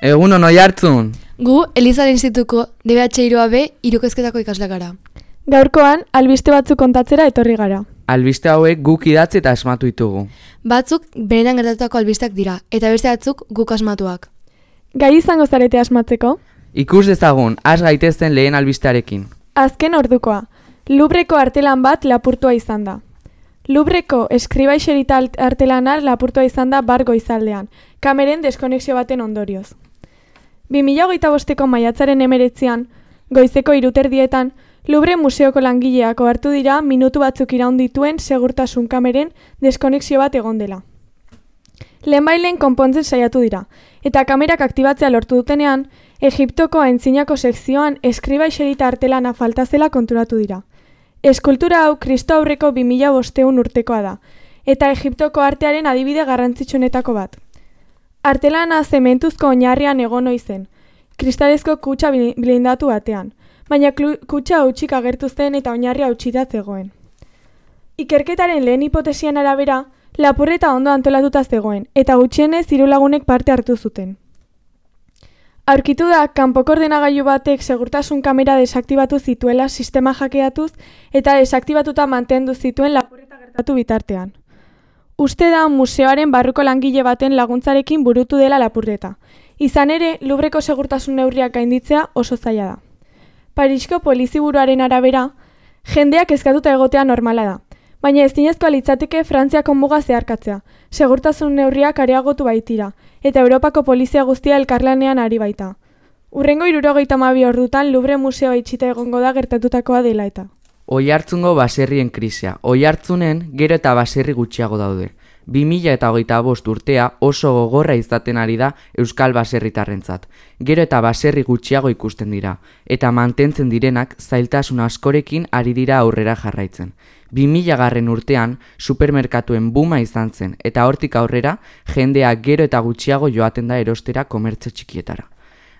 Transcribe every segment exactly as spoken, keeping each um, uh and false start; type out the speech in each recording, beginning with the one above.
Egun ono jartzun. Gu, Elizaren Institutuko D B H hiru A B hirukezketako ikasleak gara. Gaurkoan, albiste batzuk kontatzera etorri gara. Albiste hauek guk idatzi eta asmatu ditugu. Batzuk benetan gertatutako albisteak dira, eta beste batzuk guk asmatuak. Gai izango zarete asmatzeko? Ikus dezagun, has gaitezen lehen albistearekin. Azken ordukoa. Lubreko artelan bat lapurtua izan da. Lubreko eskribaixerita artelana lapurtua izan da bar goizaldean, kameren deskonexio baten ondorioz. bi mila hogeita bosteko maiatzaren hemeretzian, goizeko hiruterdietan, Lubre museoko langileak ohartu dira minutu batzuk iraun dituen segurtasun kameren deskonexio bat egon dela. Lehenbailen konpontzen saiatu dira, eta kamerak aktibatzea lortu dutenean, Egiptoko aintzinako sekzioan eskribaixerita artelana falta zela konturatu dira. Eskultura hau Kristo aurreko bi mila bostehun urtekoa da, eta Egiptoko artearen adibide garrantzitsuenetako bat. Artelana zementuzko oinarrian egon ohi zen, kristalezko kutxa blindatu batean, baina kutxa hutsik agertu zen eta oinarria hautsita zegoen. Ikerketaren lehen hipotesian arabera, lapurreta ondo antolatuta zegoen, eta gutxienez hiru lagunek parte hartu zuten. Aurkitu da, kanpoko ordenagailu batek segurtasun kamera desaktibatu zituela sistema hackeatuz eta desaktibatuta mantendu zituen lapurreta gertatu bitartean. Uste da museoaren barruko langile baten laguntzarekin burutu dela lapurreta. Izan ere, Lubreko segurtasun neurriak gainditzea oso zaila da. Parisko poliziburuaren arabera, jendeak kezkatuta egotea normala da, baina ezinezkoa litzateke Frantziako muga zeharkatzea, segurtasun neurriak areagotu baitira, eta Europako polizia guztia elkarlanean ari baita. Hurrengo hirurogeita hamabi ordutan Lubre museoa itxita egongo da gertatutakoa dela eta. Oihartzungo baserrien krisia. Oihartzunen gero eta baserri gutxiago daude. bi mila hogeita bost urtea oso gogorra izaten ari da Euskal baserritarrentzat. Gero eta baserri gutxiago ikusten dira, eta mantentzen direnak zailtasun askorekin ari dira aurrera jarraitzen. bi mila garren urtean supermerkatuen buma izan zen, eta hortik aurrera jendea gero eta gutxiago joaten da erostera komertzio txikietara.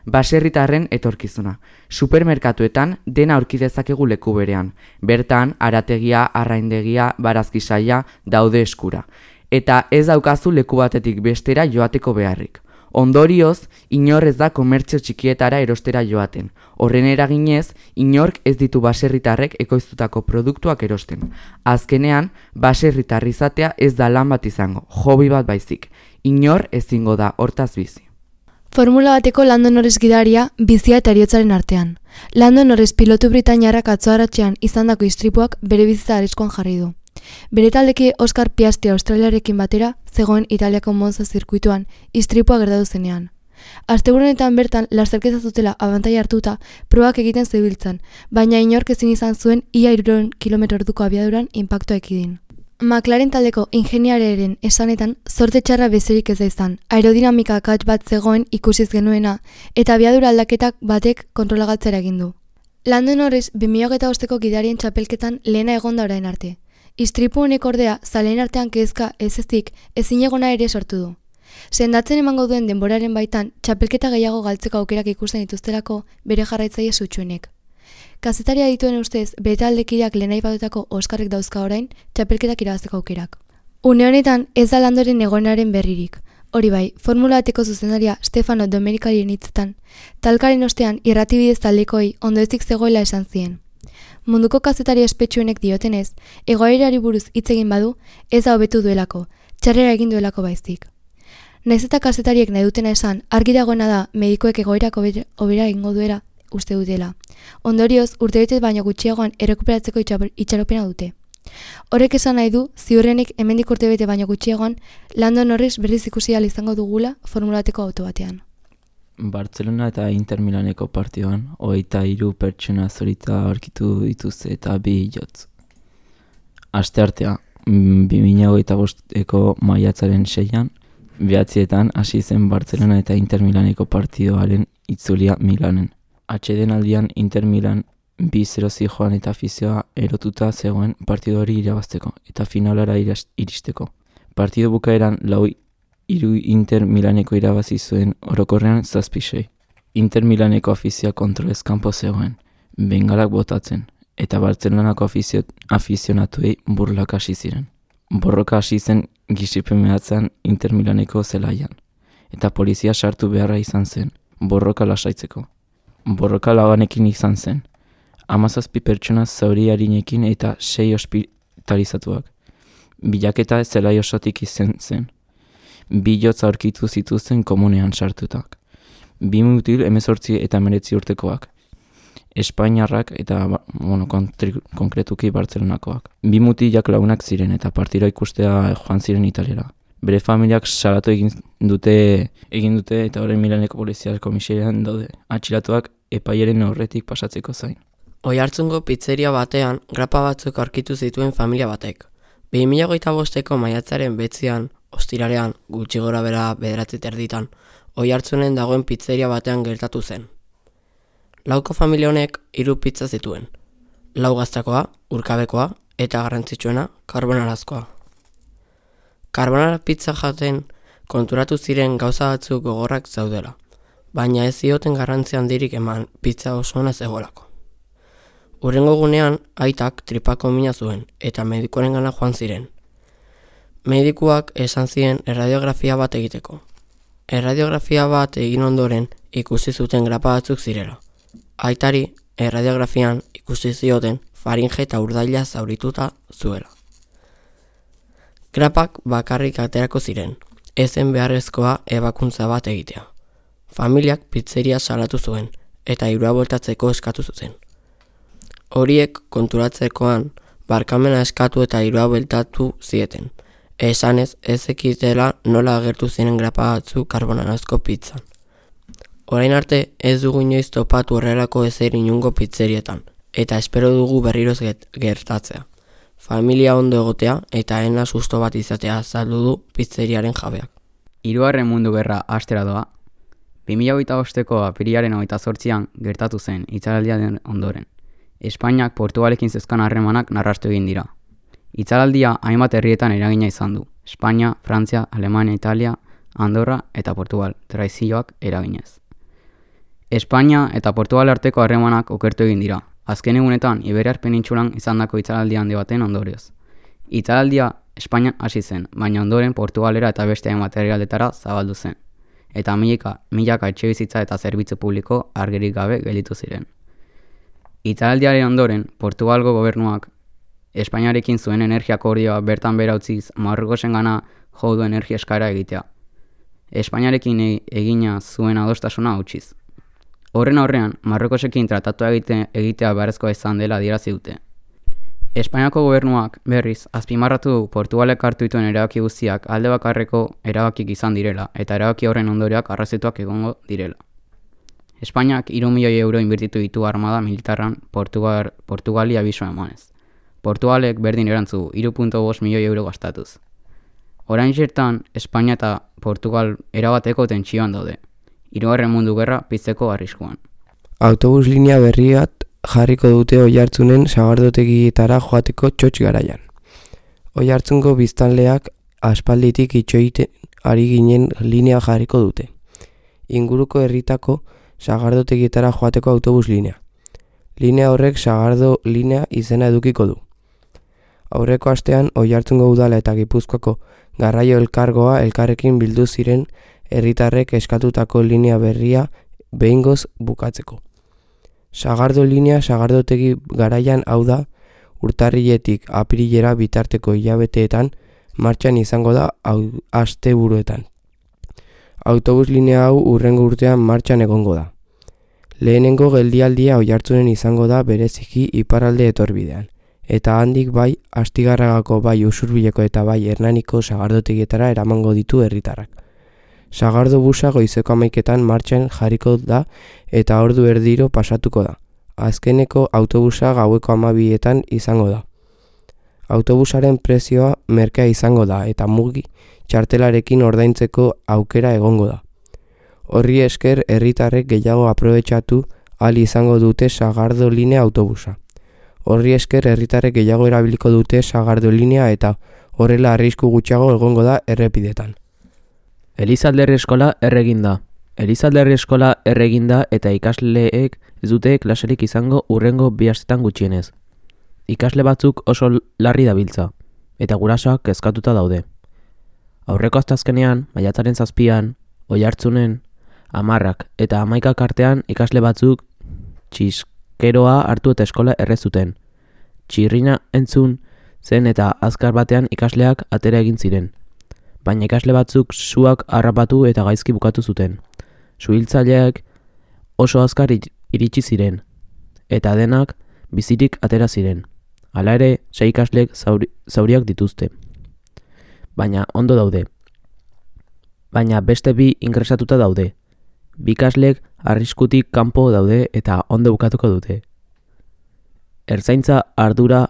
Baserritarren etorkizuna. Supermerkatuetan dena aurki dezakegu leku berean. Bertan, arategia, arraindegia, barazkisaia daude eskura. Eta ez daukazu leku batetik bestera joateko beharrik. Ondorioz, inor ez da komertzio txikietara erostera joaten. Horren eraginez, inork ez ditu baserritarrek ekoiztutako produktuak erosten. Azkenean, baserritar izatea ez da lan bat izango, hobi bat baizik. Inor ezingo da hortaz bizi. Formula bateko Lando Norris gidaria bizia eta heriotzaren artean. Lando Norris pilotu britainiarrak atzo arratsean izandako istripuak bere bizitza arriskuan jarri du. Bere taldeki Oscar Piastri Australiarekin batera zegoen Italiako Monza zirkuituan istripua gertatu zenean. Asteburunetan bertan lasterketa zutela abantaila hartuta probak egiten zebiltzan, baina inork ezin izan zuen ia hirurehun kilometro orduko abiaduran inpaktua ekidin. McLaren taldeko ingeniariaren esanetan zorte txarra bezerik ez da izan, aerodinamika akats bat zegoen ikusiz genuena eta abiadura aldaketak batek kontrolagaltzera egin du. Lando Norris bi mila hogeita bosteko gidarien txapelketan lehena egonda orain arte. Istripu honek ordea zaleen artean kezka ez ezik ezinegona ere sortu du. Sendatzen emango duen denboraren baitan txapelketa gehiago galtzeko aukerak ikusten dituztelako bere jarraitzaile sutsuenek. Kazetaria dituen ustez, bere taldekideak lehen aipatutako Oskarrek dauzka orain, txapelketak irabazteko aukerak. Une honetan ez da Landoren egoenaren berririk. Hori bai, Formula bateko zuzendaria Stefano Domenikalien hitzetan, talkaren ostean irratibidez taldekoi ondoezik zegoela esan zien. Munduko kazetari ospetsuenek diotenez, egoerari buruz hitz egin badu, ez da hobetu duelako, txarrera egin duelako baizik. Naiz eta kazetariek nahi dutena esan, argi dagoena da medikoek egoerak hobera egingo duela uste dutela. Ondorioz, urtebete baino gutxiagoan errekuperatzeko itxaropena dute. Horrek esan nahi du, ziurrenik hemendik urtebete baino gutxiagoan, Lando Norris berriz ikusi ahal izango dugula formulateko auto batean. Barcelona eta Inter Milaneko partioan, hogeita hiru pertsona zorita aurkitu dituzte eta bi jotz. Asteartea, bi mila hogeita bosteko maiatzaren seian, behatzietan hasi zen Barcelona eta Inter Milaneko partioaren itzulia Milanen. Atsedenaldian Inter Milan bi zero joan eta afizioa erotuta zegoen partido hori irabazteko eta finalara iristeko. Partido bukaeran lau hiru Inter Milaneko irabazi zuen orokorrean zazpi sei. Inter Milaneko afizioa kontrolez kanpo zegoen, bengalak botatzen, eta Bartzelonako afizio, afizionatuei burlak hasi ziren. Borroka hasi zen gisipen mehatzean Inter Milaneko zelaian. eta polizia sartu beharra izan zen, borroka lasaitzeko. Borroka labanekin izan zen, hamazazpi pertsona zauri arinekin eta sei ospitalizatuak. Bilaketa zelai osotik izan zen. Bi jotz aurkitu zituzten komunean sartutak. Bi mutil hemezortzi eta hemeretzi urtekoak. Espainiarrak eta bueno, kontri, konkretuki Bartzelonakoak. Bi mutilak lagunak ziren eta partida ikustea joan ziren Italiara. Bere familiak salatu egin dute egin dute eta orain Milaneko polizia komisarian daude. Atxilatuak epaiaren aurretik pasatzeko zain. Oiartzungo pizzeria batean grapa batzuk aurkitu zituen familia batek. bi mila hogeita bosteko maiatzaren betzian, ostirarean, gutxi gora bera bederatzi terditan, Oiartzunen dagoen pizzeria batean gertatu zen. Lauko familia honek hiru pizza zituen. Lau gaztakoa, urkabekoa eta garrantzitsuena karbonarazkoa. Karbonara pizza jaten konturatu ziren gauza batzuk gogorrak zaudela, baina ez zioten garrantzi handirik eman pizza oso ona zegoelako. Hurrengo gunean, aitak tripako mina zuen eta medikuarengana joan ziren. Medikuak esan ziren erradiografia bat egiteko. Erradiografia bat egin ondoren ikusi zuten grapa batzuk zirela. Aitari erradiografian ikusi zioten faringe eta urdaila zaurituta zuela. Grapak bakarrik aterako ziren, ezen beharrezkoa ebakuntza bat egitea. Familiak pizzeria salatu zuen eta hirua bueltatzeko eskatu zuten. Horiek konturatzekoan barkamena eskatu eta hirua bueltatu zieten. Esanez ez ekitela nola agertu ziren grapa batzu karbonarazko pizzan. Orain arte ez dugu inoiz topatu horrelako ezer inungo pizzerietan, eta espero dugu berriroz gertatzea. Familia ondo egotea eta ena susto bat izatea azaldu du pizzeriaren jabeak. Hirugarren mundu gerra hastera doa. bi mila hogeita bosteko apirilaren hogeita zortzian gertatu zen itzaldiaren ondoren. Espainiak Portugalekin zezkan harremanak narrastu egin dira. Itzaldia hainbat herrietan eragina izan du. Espainia, Frantzia, Alemania, Italia, Andorra eta Portugal, traizioak eraginez. Espainia eta Portugal arteko harremanak okertu egin dira. Azken egunetan Iberiar penintsulan izandako itzaldi handi baten ondorioz. Itzaldia Espainian hasi zen, baina ondoren Portugalera eta beste hainbat herrialdetara zabaldu zen. Eta milaka, milaka etxebizitza eta zerbitzu publiko argirik gabe gelditu ziren. Itzaldiaren ondoren, Portugalgo gobernuak Espainiarekin zuen energia akordioa bertan behera utziz Marrokosengana jo du energia eskaera egitea. Espainiarekin egina zuen adostasuna utziz. Horren aurrean, Marrokosekin tratatua egite, egitea beharrezkoa izan dela adierazi dute. Espainiako gobernuak berriz azpimarratu du Portugalek hartu dituen erabaki guztiak alde bakarreko erabakik izan direla eta erabaki horren ondorioak arrazituak egongo direla. Espainiak hiru milioi euro inbertitu ditu armada militarran Portugal, Portugali abiso emanez. Portugalek berdin erantzu hiru koma bost milioi euro gastatuz. Orain zertan, Espainia eta Portugal erabateko tentsioan daude. Hirugarren mundu gerra pizteko arriskuan. Autobus linea berriat jarriko dute Oiartzunen sagardotegietara joateko txotx garaian. Oiartzungo biztanleak aspalditik itxoiten ari ginen linea jarriko dute. Inguruko herritako sagardotegietara joateko autobus linea. Linea horrek sagardo linea izena edukiko du. Aurreko astean Oiartzungo udala eta Gipuzkoako garraio elkargoa elkarrekin bildu ziren herritarrek eskatutako linea berria behingoz bukatzeko. Sagardo linea sagardotegi garaian hau da urtarriletik apirilera bitarteko hilabeteetan martxan izango da asteburuetan. Autobus linea hau hurrengo urtean martxan egongo da. Lehenengo geldialdia Oiartzunen izango da bereziki iparralde etorbidean, eta handik bai Astigarragako bai Usurbileko eta bai Hernaniko sagardotegietara eramango ditu herritarrak. Sagardo busa goizeko hamaiketan martxan jarriko da eta ordu erdiro pasatuko da. Azkeneko autobusa gaueko hamabietan izango da. Autobusaren prezioa merkea izango da eta mugi txartelarekin ordaintzeko aukera egongo da. Horri esker herritarrek gehiago aprobetxatu ahal izango dute sagardo linea autobusa. Horri esker herritarrek gehiago erabiliko dute sagardo linea eta horrela arrisku gutxiago egongo da errepidetan. Elizalderri eskola erreginda. Elizalderri eskola erreginda eta ikasleek ez dute klaserik izango hurrengo bi astetan gutxienez. Ikasle batzuk oso larri dabiltza, eta gurasoak kezkatuta daude. Aurreko asteazkenean, maiatzaren zazpian, Oiartzunen hamarrak eta hamaikak artean ikasle batzuk txiskeroa hartu eta eskola errezuten. Txirrina entzun zen eta azkar batean ikasleak atera egin ziren. Baina ikasle batzuk suak harrapatu eta gaizki bukatu zuten. Suhiltzaileak oso azkar iritsi ziren, eta denak bizirik atera ziren. Hala ere, sei ikaslek zauri, zauriak dituzte. Baina ondo daude. Baina beste bi ingresatuta daude. Bi ikaslek arriskutik kanpo daude eta ondo bukatuko dute. Ertzaintza ardura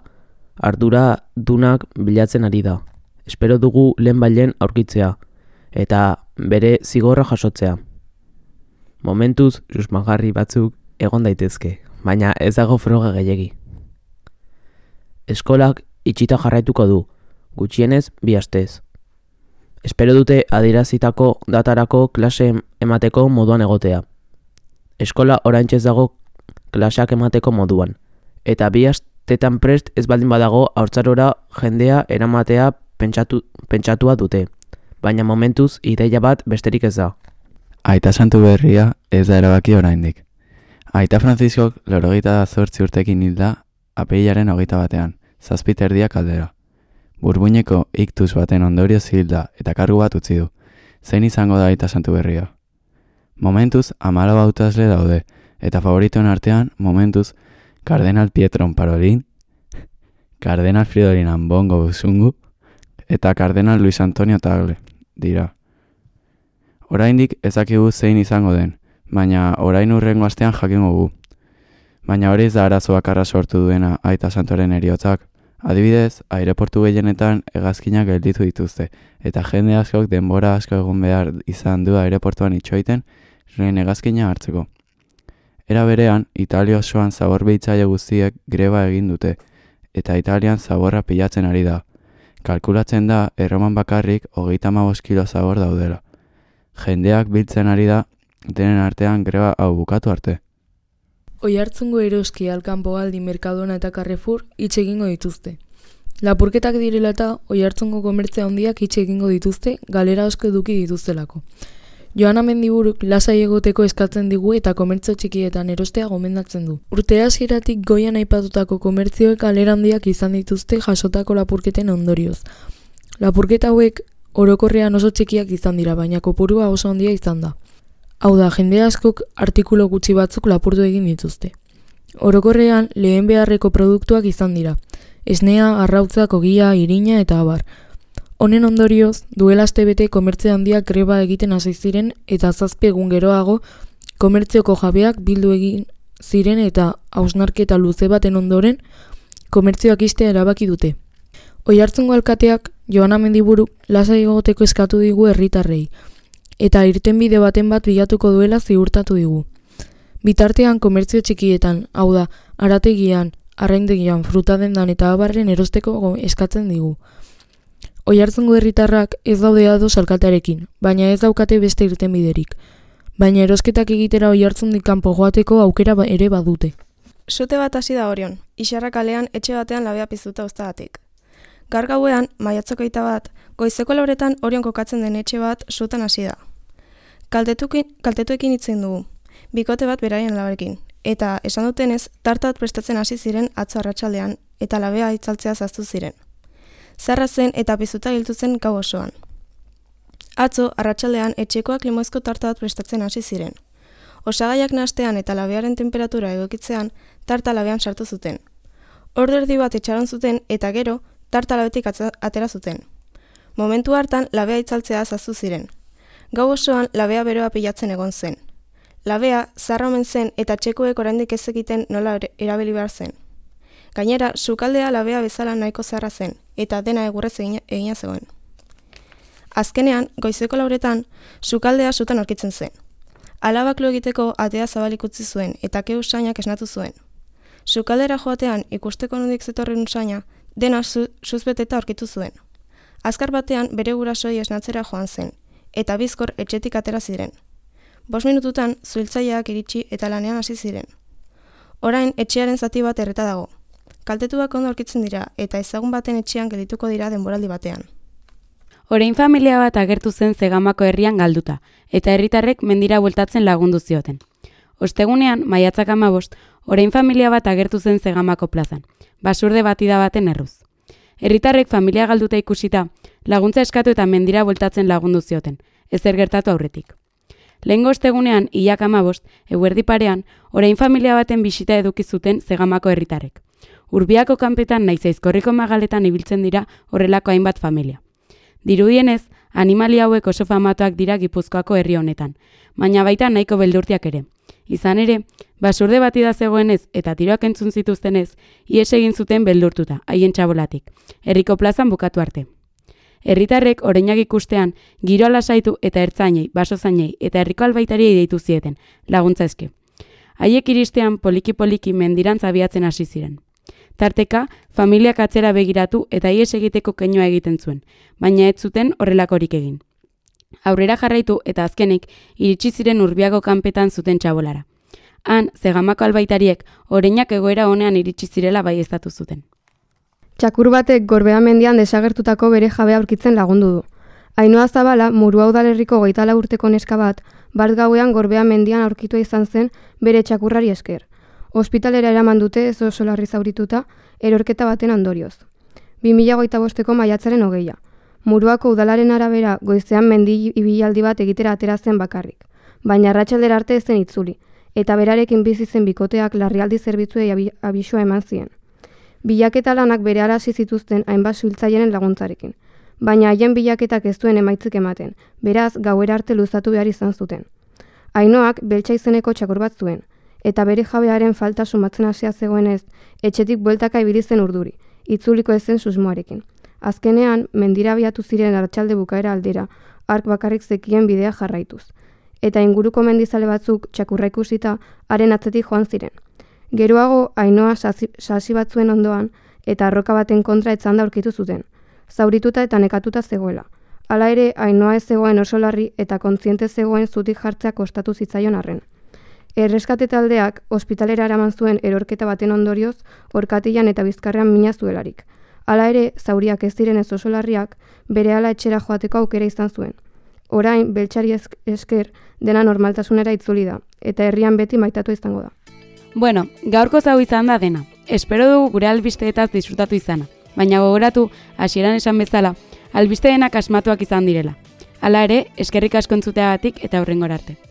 ardura dunak bilatzen ari da. Espero dugu lehenbailen aurkitzea eta bere zigorra jasotzea. Momentuz susmagarri batzuk egon daitezke, baina ez dago froga gehiegi. Eskolak itxita jarraituko du, gutxienez bi astez. Espero dute adierazitako datarako klase emateko moduan egotea. Eskola oraintxe dago klaseak emateko moduan, eta bi astetan prest ez baldin badago haurtzarora jendea eramatea pentsatu, pentsatua dute, baina momentuz ideia bat besterik ez da. Aita Santu Berria ez da erabaki oraindik. Aita Franziskok laurogeita zortzi urtekin hilda apirilaren hogeita batean, zazpit erdiak aldera. Burbuineko iktus baten ondorioz hilda eta kargu bat utzi du. Zein izango da Aita Santu Berria? Momentuz hamalau hautazle daude, eta favoritoen artean momentuz Kardenal Pietron Parolin, Kardenal Fridolin Ambongo Busungu eta Kardenal Luis Antonio Tagle dira. Oraindik ezakigu zein izango den, baina orain hurrengo astean jakingo gu. Baina hori ez da arazo bakarra sortu duena Aita Santoren heriotzak. Adibidez, aireportu gehienetan hegazkinak gelditu dituzte, eta jende askok denbora asko egon behar izan du aireportuan itxoiten lehen hegazkina hartzeko. Era berean, Italia osoan zabor behitzaile guztiek greba egin dute, eta Italian zaborra pilatzen ari da. Kalkulatzen da, Erroman bakarrik hogeita hamabost kilo zabor daudela. Jendeak biltzen ari da, denen artean greba hau bukatu arte. Oiartzungo eroski alkanpogaldi Mercadona eta Carrefour itx egingo dituzte. Lapurketak direla eta Oiartzungo komertzia handiak itx egingo dituzte galera asko eduki dituztelako. Joana Mendiburuk lasai egoteko eskatzen digu eta komertzio txikietan erostea gomendatzen du. Urte hasieratik goian aipatutako komertzioek galera handiak izan dituzte jasotako lapurketen ondorioz. Lapurketa hauek orokorrean oso txikiak izan dira, baina kopurua oso handia izan da. Hau da, jende askok artikulu gutxi batzuk lapurtu egin dituzte. Orokorrean lehen beharreko produktuak izan dira. Esnea, arrautzak, ogia, irina eta abar. Honen ondorioz, duela astebete komertzio handiak greba egiten hasi ziren eta zazpi egun geroago komertzioko jabeak bildu egin ziren eta hausnarketa luze baten ondoren komertzioak ixtea erabaki dute. Oiartzungo alkateak Joana Mendiburuk lasai egoteko eskatu digu herritarrei, eta irtenbide baten bat bilatuko duela ziurtatu digu. Bitartean komertzio txikietan, hau da, arategian, arraindegian, frutadendan eta abarren erosteko eskatzen digu. Oiartzungo herritarrak ez daude ados alkatearekin, baina ez daukate beste irtenbiderik. Baina erosketak egitera Oiartzundik kanpo joateko aukera ere badute. Sute bat hasi da Orion, Ixarra kalean etxe batean labea piztuta uztagatik. Gaur gauean, maiatzoko hogeita bat, goizeko lauretan Orion kokatzen den etxe bat sutan hasi da. Kaltetuekin hitzen dugu, bikote bat beraien labarekin, eta esan dutenez, tartat prestatzen hasi ziren atzo arratsaldean eta labea itzaltzea zaztu ziren. Zarra zen eta piztuta giltu zen gau osoan. Atzo, arratsaldean etxekoak limoizko tarta bat prestatzen hasi ziren. Osagaiak nahastean eta labearen temperatura egokitzean, tarta labean sartu zuten. Ordu erdi bat etxaron zuten eta gero, tarta labetik atera zuten. Momentu hartan, labea itzaltzea zaztu ziren. Gau osoan, labea beroa pilatzen egon zen. Labea, zarra omen zen eta txekuek oraindik ez egiten nola erabili behar zen. Gainera, sukaldea labea bezala nahiko zarra zen, eta dena egurrez egina zegoen. Azkenean, goizeko lauretan, sukaldea sutan aurkitzen zen. Alabak lo egiteko atea zabalik utzi zuen, eta ke usainak esnatu zuen. Sukaldera joatean ikusteko nondik zetorren usaina, dena suzbeteta aurkitu zuen. Azkar batean bere gurasoi esnatzera joan zen, eta bizkor etxetik atera ziren. Bost minututan, zuhiltzaileak iritsi eta lanean hasi ziren. Orain, etxearen zati bat erreta dago. Kaltetuak ondo aurkitzen dira, eta ezagun baten etxean geldituko dira denboraldi batean. Orain familia bat agertu zen Zegamako herrian galduta, eta herritarrek mendira bueltatzen lagundu zioten. Ostegunean, maiatzak hamabost, orain familia bat agertu zen Zegamako plazan, basurde batida baten erruz. Herritarrek familia galduta ikusita, laguntza eskatu eta mendira bueltatzen lagundu zioten, ezer gertatu aurretik. Lehengo ostegunean, hilak hamabost, eguerdi parean, orain familia baten bisita eduki zuten Zegamako herritarrek. Urbiako kanpetan naiz Aizkorriko magaletan ibiltzen dira horrelako hainbat familia. Dirudienez, animalia hauek oso famatuak dira Gipuzkoako herri honetan, baina baita nahiko beldurtiak ere. Izan ere, basurde batida zegoenez eta tiroak entzun zituztenez, ihes egin zuten beldurtuta, haien txabolatik, herriko plazan bukatu arte. Herritarrek oreinak ikustean, giroa lasaitu eta ertzainei, basozainei eta herriko albaitariei deitu zieten, laguntza eske. Haiek iristean poliki-poliki mendirantz abiatzen hasi ziren. Tarteka, familiak atzera begiratu eta ihes egiteko keinua egiten zuen, baina ez zuten horrelakorik egin. Aurrera jarraitu eta azkenik iritsi ziren Urbiako kanpetan zuten txabolara. Han, Zegamako albaitariek oreinak egoera honean iritsi zirela baieztatu zuten. Txakur batek Gorbea mendian desagertutako bere jabea aurkitzen lagundu du. Ainhoa Zabala, Murua udalerriko hogeita lau urteko neska bat, bart gauean Gorbea mendian aurkitua izan zen bere txakurrari esker. Ospitalera eraman dute ez oso larri zaurituta, erorketa baten ondorioz. bi mila hogeita bosteko maiatzaren hogeia. Muruako udalaren arabera goizean mendi ibilaldi bat egitera atera zen bakarrik, baina arratsaldera arte ez zen itzuli, eta berarekin bizi zen bikoteak larrialdi zerbitzuei abi, abisua eman zien. Bilaketa lanak berehala hasi zituzten hainbat suhiltzaileen laguntzarekin, baina haien bilaketak ez duen emaitzik ematen, beraz gauera arte luzatu behar izan zuten. Ainhoak beltza izeneko txakur bat zuen, eta bere jabearen falta sumatzen hasia zegoenez, etxetik bueltaka ibili zen urduri, itzuliko ez zen susmoarekin. Azkenean, mendira abiatu ziren arratsalde bukaera aldera, hark bakarrik zekien bidea jarraituz. Eta inguruko mendizale batzuk txakurra ikusita, haren atzetik joan ziren. Geroago, Ainhoa sasi, sasi batzuen ondoan, eta arroka baten kontra etzanda aurkitu zuten, zaurituta eta nekatuta zegoela. Hala ere, Ainhoa ez zegoen oso larri eta kontziente zegoen zutik jartzea kostatu zitzaion arren. Erreskate taldeak ospitalera eraman zuen erorketa baten ondorioz, orkatilan eta bizkarrean mina zuelarik. Hala ere, zauriak ez diren ez oso larriak, berehala etxera joateko aukera izan zuen. Orain, beltzari esker dena normaltasunera itzuli da, eta herrian beti maitatu izango da. Bueno, gaurko zau izan da dena. Espero dugu gure albisteetaz disfrutatu izana, baina gogoratu, hasieran esan bezala, albisteenak asmatuak izan direla. Hala ere, eskerrik asko entzuteagatik eta hurrengora arte.